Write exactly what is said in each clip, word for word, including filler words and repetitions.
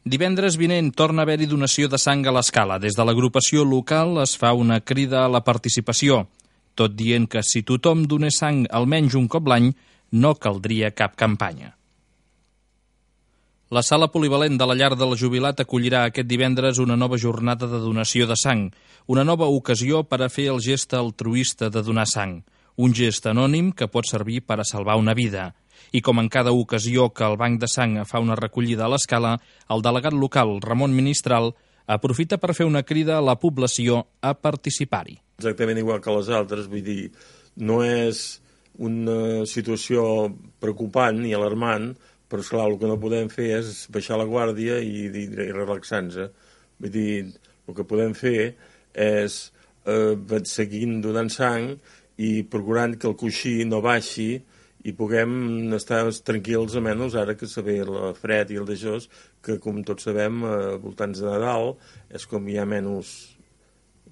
Divendres vinent torna a haver-hi donació de sang a l'Escala. Des de l'agrupació local es fa una crida a la participació, tot dient que si tothom donés sang almenys un cop l'any, no caldria cap campanya. La sala polivalent de la Llar del Jubilat acollirà aquest divendres una nova jornada de donació de sang, una nova ocasió per a fer el gest altruista de donar sang, un gest anònim que pot servir per a salvar una vida. I com en cada ocasió que el Banc de Sang fa una recollida a l'Escala, el delegat local, Ramon Ministral, aprofita per fer una crida a la població a participar-hi. Exactament igual que les altres, vull dir, no és una situació preocupant ni alarmant, però esclar, el que no podem fer és baixar la guàrdia i, i, i relaxar-nos. Vull dir, el que podem fer és eh, seguir donant sang i procurant que el coixí no baixi i puguem estar tranquils, almenys ara que se ve el fred i el d'això, que com tots sabem, a voltants de Nadal, és com hi ha menys,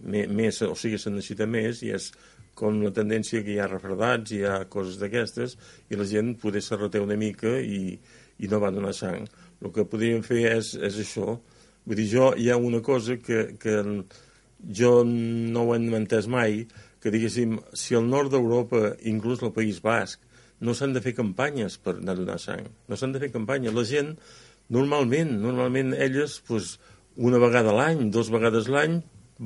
més, o sigui, se necessita més, i és com la tendència que hi ha refredats, hi ha coses d'aquestes, i la gent poder se reté una mica i, i no va donar sang. El que podríem fer és, és això. Vull dir, jo hi ha una cosa que, que jo no ho he entès mai, que diguéssim, si al nord d'Europa, inclús al País Basc, no s'han de fer campanyes per anar a donar sang. No s'han de fer campanyes. La gent, normalment, normalment elles, doncs, una vegada a l'any, dues vegades l'any,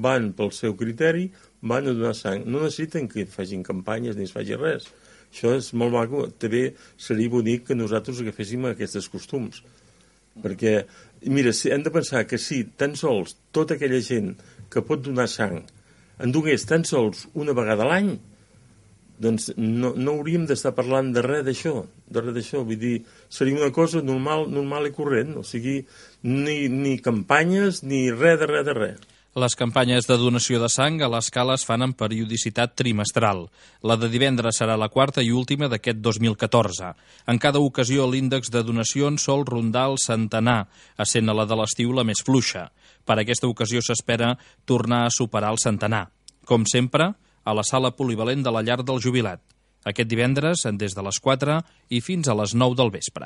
van pel seu criteri, van a donar sang. No necessiten que facin campanyes ni es faci res. Això és molt maco. També seria bonic que nosaltres agaféssim aquests costums. Perquè, mira, hem de pensar que si tan sols tota aquella gent que pot donar sang en donés tan sols una vegada a l'any, doncs no, no hauríem d'estar parlant de res d'això, de res d'això. Vull dir, seria una cosa normal, normal i corrent, o sigui, ni, ni campanyes ni res de res de res. Les campanyes de donació de sang a l'Escala es fan en periodicitat trimestral. La de divendres serà la quarta i última d'aquest dos mil catorze. En cada ocasió l'índex de donacions sol rondar el centenar, essent a la de l'estiu la més fluixa. Per aquesta ocasió s'espera tornar a superar el centenar. Com sempre, a la sala polivalent de la Llar del Jubilat. Aquest divendres, des de les quatre i fins a les nou del vespre.